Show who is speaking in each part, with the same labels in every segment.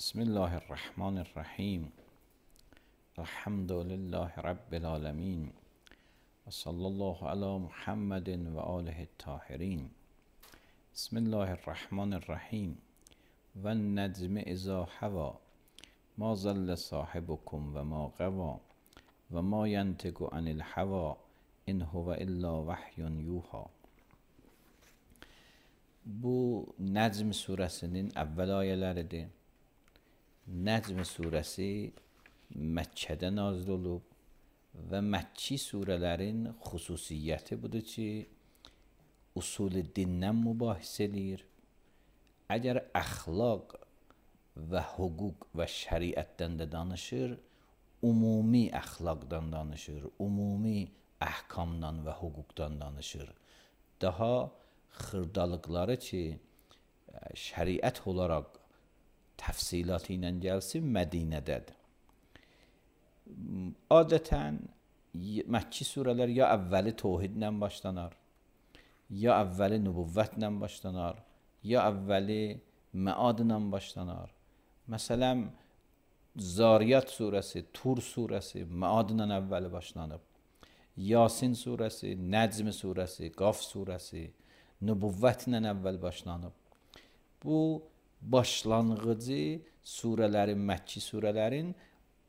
Speaker 1: بسم الله الرحمن الرحیم. الحمد لله رب العالمین و صلی الله علی محمد و آله الطاهرین. بسم الله الرحمن الرحیم. و النجم اذا هوی ما ضل صاحبکم و ما غوی و ما ینطق عن الهوی ان هو الا وحی یوحی. Bu Necm surəsinin əvvəl ayələridir. Necm surəsi Məkkədə nazil olub və Məkki surələrin xüsusiyyəti budur ki, usul dindən mübahisə edir. Əgər əxlaq və hüquq və şəriətdən də danışır, ümumi əxlaqdan danışır, ümumi əhkamdan və hüquqdan danışır. Daha xırdalıqları ki, şəriət olaraq təfsilatı ilə gəlsin, Mədinədədir. Adətən Məkki surələr ya əvvəli təvhidlə başlanar, ya əvvəli nübüvvətlə başlanar, ya əvvəli məadla başlanar. Məsələn, Zariyat surəsi, Tur surəsi məadla əvvəli başlanıb. Yasin surəsi, Necm surəsi, Qaf surəsi nübüvvətlə əvvəl başlanıb. Bu başlanğıcı surələrin, Məkki surələrin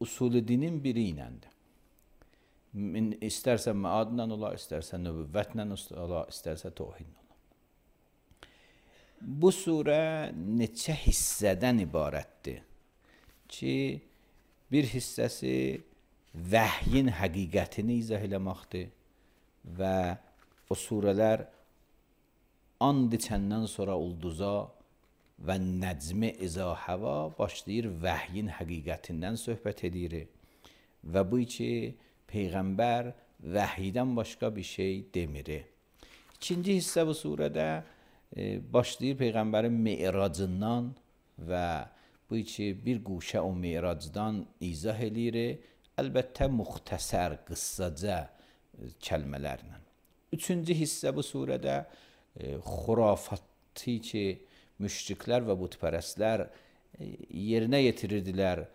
Speaker 1: usulü dinin biri iləndir. İstərsə məadla ola, istərsə nübüvvətlə ola, istərsə təvhidlə ola. Bu surə neçə hissədən ibarətdir ki, bir hissəsi vəhyin həqiqətini izah eləməkdir və o surələr and içəndən sonra ulduza və Necmi İza Hava başlayır vəhyin həqiqətindən söhbət edir və bu ki, Peyğəmbər vəhiydən başqa bir şey demir. İkinci hissə bu surədə başlayır Peyğəmbərin me'racından və bu ki, bir quşə o me'racdan izah edir, əlbəttə müxtəsər, qıssaca kəlmələrlə. Üçüncü hissə bu surədə xurafatı ki, müşriklər və bütpərəstlər yerinə yetirirdilər,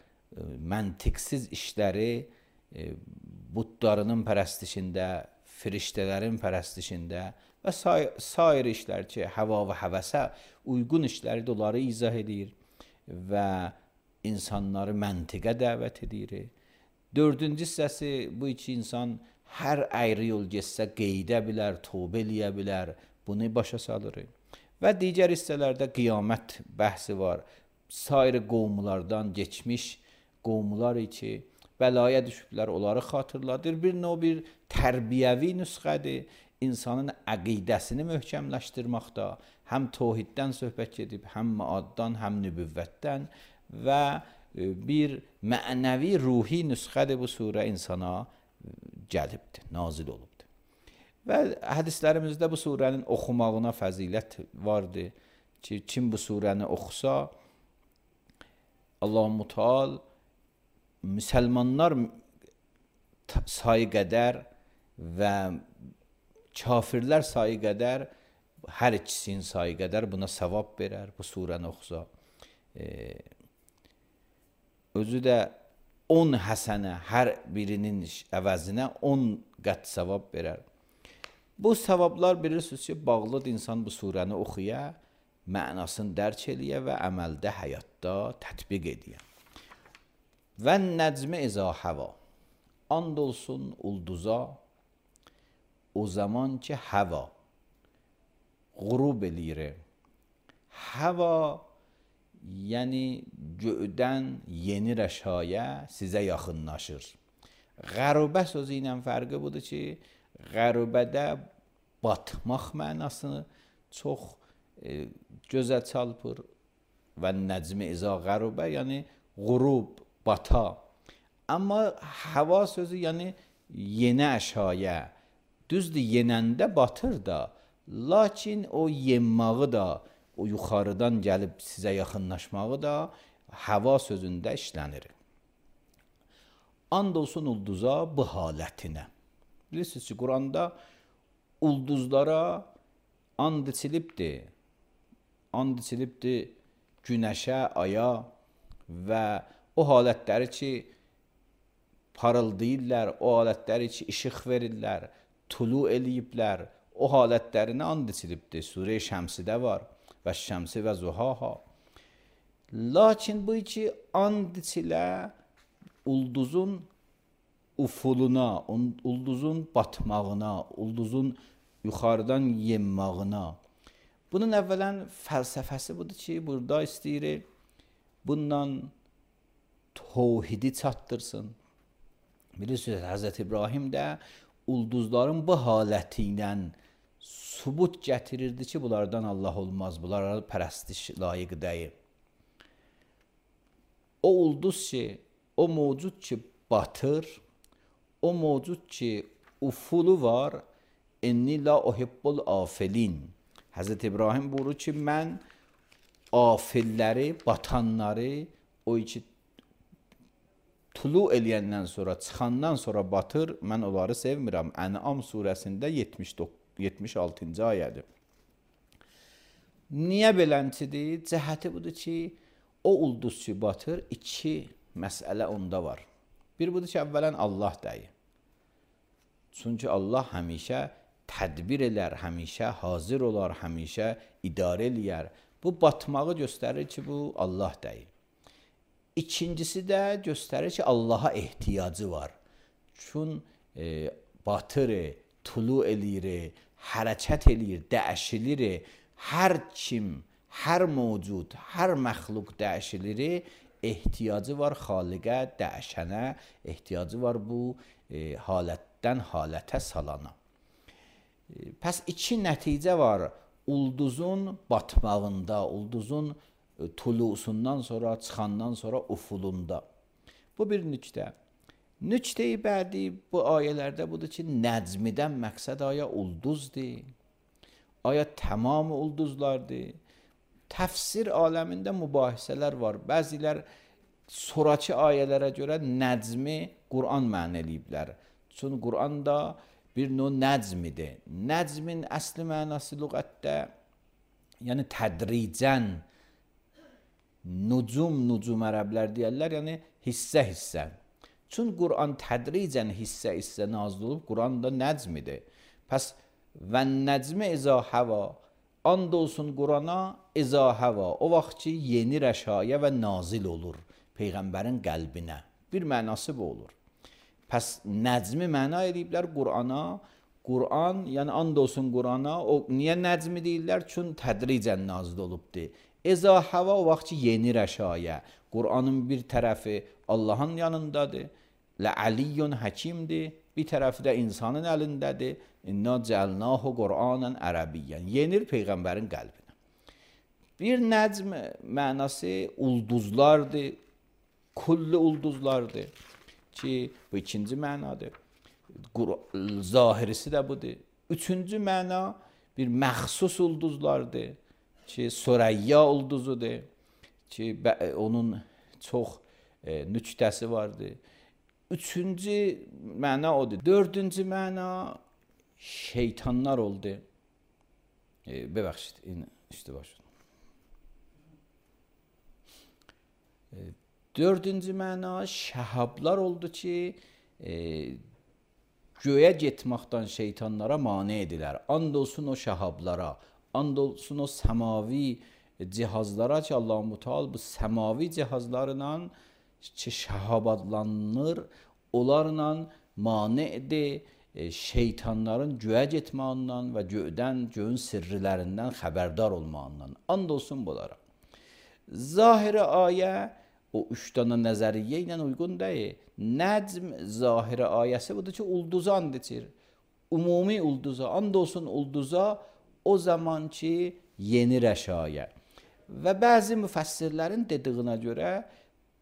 Speaker 1: məntiqsiz işləri butlarının pərəstişində, firiştələrin pərəstişində və sair işlər ki, həva və həvəsə uyğun işləri də onları izah edir və insanları məntiqə dəvət edir. Dördüncü hissəsi bu iki insan hər əyri yol getsə qeydə bilər, tövbə eləyə bilər, bunu başa salır. Və digər hissələrdə qiyamət bəhsi var. Sair qovmulardan geçmiş qovmular ki, bəlaya düşüblər, onları xatırladır. Bir növ bir tərbiyəvi nüsxədir. İnsanın əqidəsini möhkəmləşdirməkdə həm təvhiddən söhbət edib, həm məaddan, həm nübüvvətdən və bir mənəvi, ruhi nüsxədir bu surə insana gəlibdir, nazil olubdur. Və hədislərimizdə bu surənin oxumağına fəzilət vardır ki, kim bu surəni oxusa, Allah-u Teala müsəlmanlar sayı qədər və kafirlər sayı qədər, hər ikisinin sayı qədər buna savab verər bu surəni oxusa. Özü də 10 həsənə, hər birinin əvəzinə 10 qət savab verər. Bu savablar bilirsiniz ki, bağlıdır insan bu surəni oxuya, mənasını dərk eləyə və əməldə, həyatda tətbiq eləyə. Və nəcmi izə həva. And olsun ulduza o zaman ki həva qurub eləyir. Həva yəni göydən yenir əşaya sizə yaxınlaşır. Qərubə sözü ilə fərqi budur ki, qərubədə batmaq mənasını çox gözə çarpır və nəcmi izə qərubə yəni qurub, bata. Amma həva sözü yəni yenə əşaya, düzdür yenəndə batır da, lakin o yenmağı da, o yuxarıdan gəlib sizə yaxınlaşmağı da həva sözündə işlənir. And olsun ulduza bu halətinə. Bilirsiniz ki, Quranda ulduzlara and içilibdir. And içilibdir günəşə, aya və o halətləri ki, parıldayırlar, o halətləri ki, işıq verirlər, tulu eləyiblər, o halətlərinə and içilibdir. Surə Şəmsidə var və Şəmsi və Zuhaha. Lakin bu ki, and içilə ulduzun ufuluna, ulduzun batmağına, ulduzun yuxarıdan yenmağına. Bunun əvvələn fəlsəfəsi budur ki, burada istəyir bundan təvhidi çatdırsın. Bilirsiniz, Həzrət İbrahim də ulduzların bu haləti ilə sübut gətirirdi ki, bunlardan Allah olmaz, bunlara pərəstiş layiq deyil. O ulduz ki, o mövcud ki batır, o mövcud ki ufulu var, inni la uhibbul afilin. Həzrət İbrahim buyurur ki, mən afilləri, batanları, o ki tulu eləyəndən sonra, çıxandan sonra batır, mən onları sevmirəm. Ən'am surəsində 76-cı ayədir. Niyə beləncidir? Cəhəti budur ki, o ulduz ki batır, iki məsələ onda var. Bir budur ki, əvvələn Allah deyir. Çünki Allah həmişə tədbir elər, həmişə hazır olar, həmişə idarə eləyər. Bu batmağı göstərir ki, bu Allah deyir. İkincisi də göstərir ki, Allaha ehtiyacı var. Çünki batır, tulu eləyir, hərəkət eləyir, dəyişilir. Hər kim, hər mövcud, hər məxluq dəyişilir, ehtiyacı var xaliqə, dəyişənə, ehtiyacı var bu halətdən halətə salana. Pəs iki nəticə var ulduzun batmağında, ulduzun tulusundan sonra, çıxandan sonra ufulunda. Bu bir nüqtə. Nüqtə-i bədi bu ayələrdə budur ki, nəcmidən məqsəd aya ulduzdur, aya tamam ulduzlardır. Təfsir aləmində mübahisələr var. Bəzilər sonrakı ayələrə görə nəcmi Quran məna eləyiblər. Çünki Quranda bir növ nəcmidir. Nəcmin əsli mənası lüğətdə, yəni tədricən, nucum ərəblər deyərlər, yəni hissə. Çünki Quran tədricən hissə nazil olub, Quran da nəcmidir. Pəs və nəcmi izə həva, and olsun Qurana izə həva, o vaxt ki, yenir əşaya və nazil olur Peyğəmbərin qəlbinə. Bir mənası bu olur. Pəs nəcmi məna ediblər Qurana. Quran, yəni and olsun Qurana, o niyə nəcmi deyirlər? Çünki tədricən nazil olubdur. İzə həva o vaxt ki, yenir əşaya. Quranın bir tərəfi Allahın yanındadır. Lə'aliyyun həkimdir. Bir tərəfi də insanın əlindədir. İnna cəlnahu Qur'anan ərəbiyyən. Yenir Peyğəmbərin qəlbinə. Bir nəcm mənası ulduzlardır. Kulli ulduzlardır. Ki bu ikinci mənadır. Zahirisi də budur. Üçüncü məna bir məxsus ulduzlardır. Ki Sürəyya ulduzudur. Ki onun çox nüqtəsi vardır. Üçüncü məna odur. Dördüncü məna şeytanlar oldu. Bəbəxşid, işte başladım. Dördüncü məna şəhablar oldu ki, göyə getməkdən şeytanlara mane edilər. And olsun o şəhablara, and olsun o səmavi cihazlara ki, Allah-u Teala bu səmavi cihazlarla ki Şəhab adlanır, onlarla manidir, şeytanların göyə getməyindən və göyün sirrilərindən xəbərdar olmağından. And olsun bunlara. Zahiri ayə o 3 dənə nəzəriyyə ilə uyğun deyil. Nəcm zahiri ayəsi budur ki, ulduza and içir. Ümumi ulduza, and olsun ulduza o zaman ki yeni rəşayə. Və bəzi müfəssirlərin dediyinə görə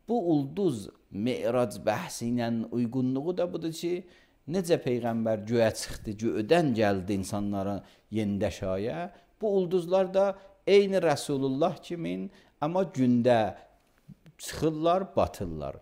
Speaker 1: bu ulduz Mi'rac bəhsi ilə uyğunluğu da budur ki, necə Peyğəmbər göyə çıxdı, göydən gəldi insanlara yeni şayə. Bu ulduzlar da eyni Rəsulullah kimin, amma gündə çıxırlar, batırlar.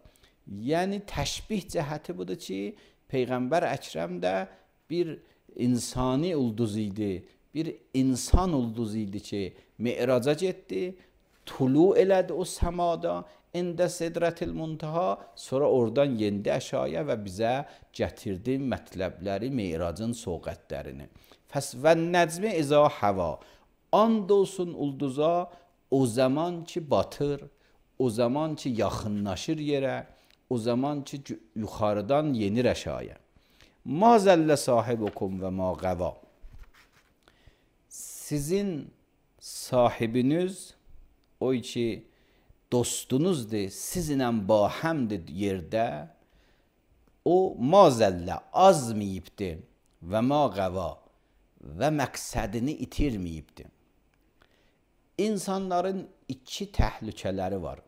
Speaker 1: Yəni təşbih cəhəti budur ki, Peyğəmbər Əkrəm də bir insani ulduz idi, bir insan ulduz idi ki, Mi'raca getdi, tulu elədi o səmada, İndə Sidratil Muntaha, sonra oradan yendi əşaya və bizə gətirdi mətləbləri Mi'racın soğətlərini. Fəs və nəcmi izə həva, and olsun ulduza o zaman ki batır, o zaman ki yaxınlaşır yerə, o zaman ki yuxarıdan yenir əşaya. Ma zəllə sahibukum və ma qəva. Sizin sahibiniz o ki dostunuzdur, sizinlə bahəmdir yerdə, o mazəllə azməyibdir və ma qəva və məqsədini itirməyibdir. İnsanların iki təhlükələri var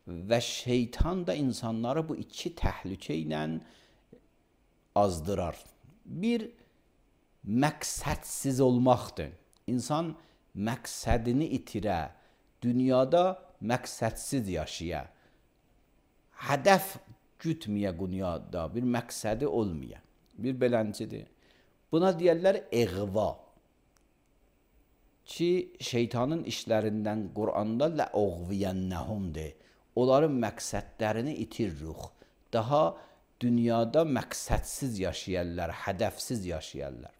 Speaker 1: və şeytan da insanları bu iki təhlükə ilə azdırar. Bir, məqsədsiz olmaqdır. İnsan məqsədini itirə, dünyada məqsədsiz yaşaya, hədəf gütməyə dünyada, bir məqsədi olmaya, bir beləncidir. Buna deyərlər eğva ki, şeytanın işlərindən Quranda ləuğviyənnəhumdir. Onların məqsədlərini itiririk. Daha dünyada məqsədsiz yaşayarlar, hədəfsiz yaşayarlar.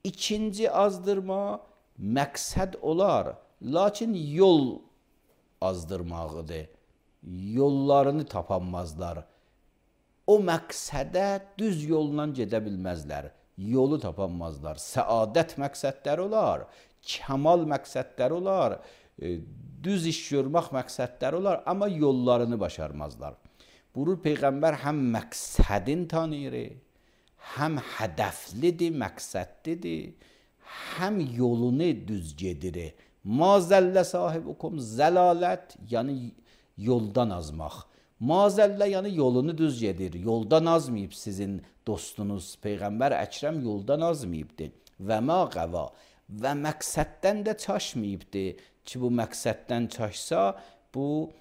Speaker 1: İkinci azdırma məqsəd olar, lakin yol azdırmağıdır. Yollarını tapanmazlar. O məqsədə düz yolla gedə bilməzlər. Yolu tapanmazlar. Səadət məqsədləri olar, kəmal məqsədləri olar, düz iş görmək məqsədləri olar, amma yollarını başarmazlar. Buyurur Peyğəmbər həm məqsədin tanıyır, həm hədəflidir, məqsədlidir, həm yolunu düz gedir. Ma zəllə sahibukum, zəlalət, yəni yoldan azmaq. Ma zəllə, yəni yolunu düz gedir, yoldan azmayıb sizin dostunuz. Peyğəmbər Əkrəm yoldan azmayıbdır. Və ma qəva, və məqsəddən də çaşmayıbdır ki, bu məqsəddən çaşsa, bu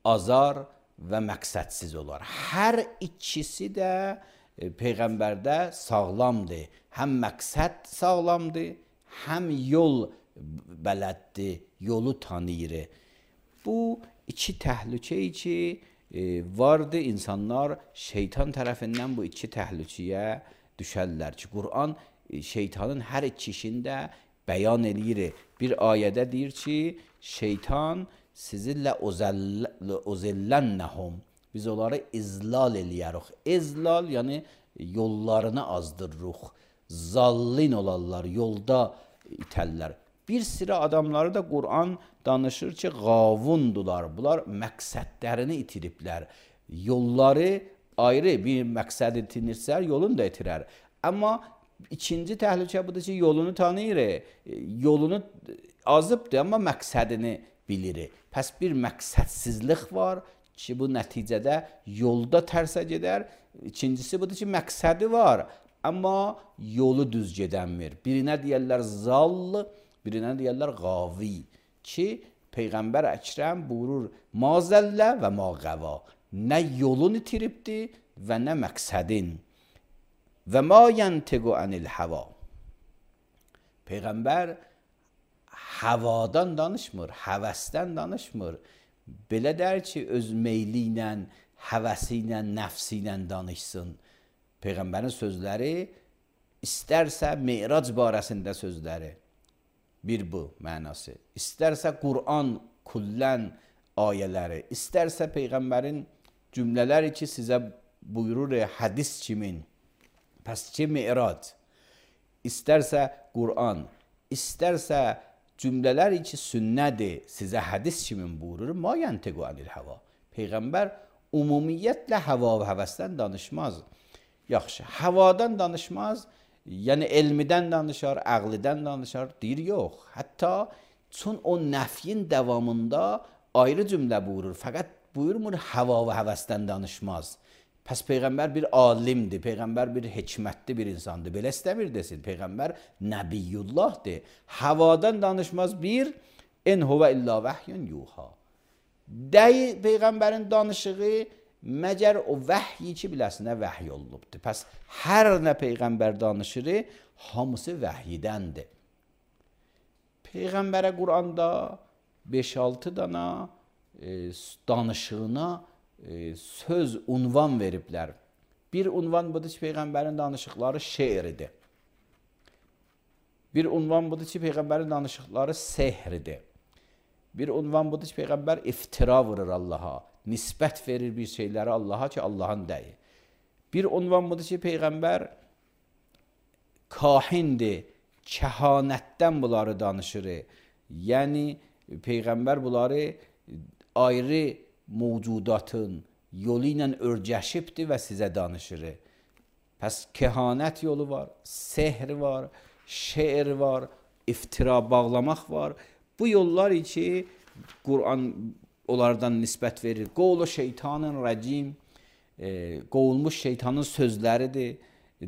Speaker 1: azar və məqsədsiz olar. Hər ikisi də Peyğəmbərdə sağlamdır. Həm məqsəd sağlamdır, həm yol bələddir, yolu tanıyır. Bu iki təhlükə ki vardı, insanlar şeytan tərəfindən bu iki təhlükəyə düşərlər ki, Quran şeytanın hər iki işində bəyan eləyir. Bir ayədə deyir ki, şeytan sizinlə uzillənnəhum, biz onları izlal eləyərik. İzlal, yəni yollarını azdırırıq. Zallin olarlar, yolda itərlər. Bir sıra adamları da Quran danışır ki, qavundular. Bunlar məqsədlərini itiriblər. Yolları ayrı bir məqsəd itinirsə, yolunu da itirər. Amma ikinci təhlükə budur ki, yolunu tanıyır. Yolunu azıbdır, amma məqsədini bilir. Pəs bir məqsədsizlik var ki, bu nəticədə yolda tərsə gedər. İkincisi budur ki, məqsədi var, amma yolu düz gedənmir. Birinə deyərlər zall, birinə deyərlər qavi ki, Peyğəmbər Əkrəm buyurur, ma zəllə və ma qəva. Nə yolunu itiribdir və nə məqsədin. Və ma yəntiqu anil həva. Peyğəmbər həvadan danışmır, həvəsdən danışmır. Belə dər ki, öz meyli ilə, həvəsi ilə, nəfsi ilə danışsın. Peyğəmbərin sözləri istərsə Mi'rac barəsində sözləri. Bir bu mənası. İstərsə Quran kullən ayələri, istərsə Peyğəmbərin cümlələri ki, sizə buyurur hədis kimin, pəs ki, Mi'rac, istərsə Qur'an, istərsə cümlələri ki, sünnədir, sizə hədis kimin buyurur, ma yəntiqu anil hava. Peyğəmbər ümumiyyətlə hava və həvəsdən danışmaz. Yaxşı, havadan danışmaz, yəni elmidən danışar, əqlidən danışar, deyir yox. Hətta çün o nəfyin davamında ayrı cümlə buyurur, fəqət buyurmur hava və həvəsdən danışmaz. Pəs Peyğəmbər bir alimdir, Peyğəmbər bir hikmətli bir insandır. Belə istəmir desin, Peyğəmbər Nəbiyyullahdır. Havadan danışmaz bir, in huvə illa vəhyun yuha. Dəyi Peyğəmbərin danışığı məgər o vəhyi ki, biləsinə vəhy olubdur. Pəs hər nə Peyğəmbər danışır, hamısı vəhyidəndir. Peyğəmbərə Quranda 5-6 dana danışığına söz, unvan veriblər. Bir unvan budur ki, Peyğəmbərin danışıqları şeiridir. Bir unvan budur ki, Peyğəmbərin danışıqları sehridir. Bir unvan budur ki, Peyğəmbər iftira vurur Allaha, nisbət verir bir şeyləri Allaha ki, Allahın dəyi. Bir unvan budur ki, Peyğəmbər kahindir, kəhanətdən bunları danışır. Yəni, Peyğəmbər bunları ayrı mövcudatın yolu ilə örgəşibdir və sizə danışır. Pəs kehanət yolu var, sehr var, şeir var, iftira bağlamaq var. Bu yollar ki, Qur'an onlardan nisbət verir. Qovlu şeytanın rəcim, qovulmuş şeytanın sözləridir.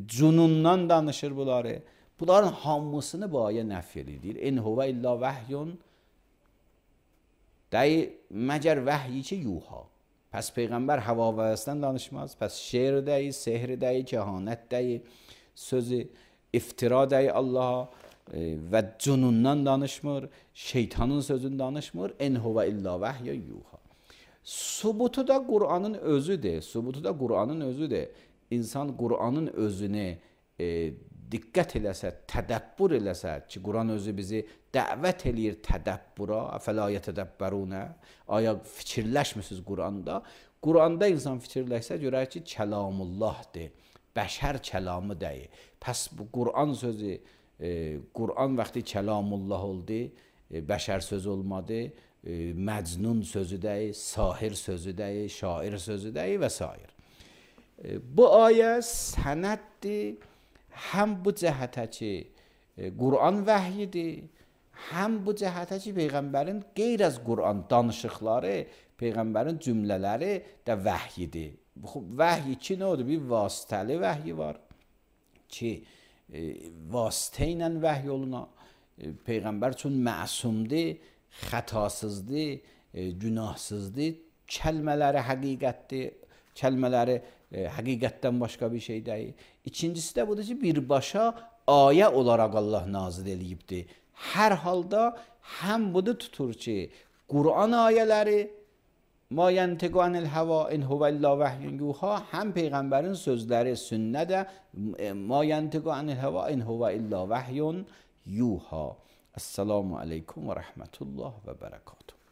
Speaker 1: Cunundan danışır bunları. Bunların hamısını bu ayə nəf edir. İn huvə illa vəhyun, dəyi məgər vəhyi ki, yuha. Pəs Peyğəmbər hava və həvəsdən danışmaz. Pəs şeir dəyi, sehr dəyi, kəhanət dəyi, sözü, iftira dəyi Allaha və cunundan danışmır, şeytanın sözünü danışmır. En huvə illa vəhyun yuha. Subutu da Qur'anın özüdür. Subutu da Qur'anın özüdür. İnsan Qur'anın özünü diqqət eləsə, tədəbbür eləsə ki, Qur'an özü bizi dəvət eləyir tədəbbüra, əfələ yətədəbbərunə, aya fikirləşmisiniz Qur'anda. Qur'anda insan fikirləşsə, görər ki, kəlamullahdır, bəşər kəlamı deyil. Pəs bu Qur'an sözü, Qur'an vaxtı kəlamullah oldu, bəşər sözü olmadı, məcnun sözü deyil, sahir sözü deyil, şair sözü deyil və s. Bu ayə sənəddir, həm bu cəhətə ki, Qur'an vəhyidir, həm bu cəhətə ki, Peyğəmbərin qeyr az Qur'an danışıqları, Peyğəmbərin cümlələri də vəhyidir. Vəhy ki, nə odur? Bir vasitəli vəhyi var ki, vasitə ilə vəhy oluna. Peyğəmbər üçün məsumdur, xətasızdır, günahsızdır, kəlmələri həqiqətdir, kəlmələri həqiqətdən başqa bir şey deyil. İkincisi də budur ki, birbaşa ayə olaraq Allah nazil eləyibdir. Hər halda həm budur tutur ki, Qur'an ayələri ma yəntiqu anil hava in huvə illa vəhyun yuha, həm Peyğəmbərin sözləri sünnə də ma yəntiqu anil hava in huvə illa vəhyun yuha. Esselamu aleykum və rəhmətullah və bərəkatuhu.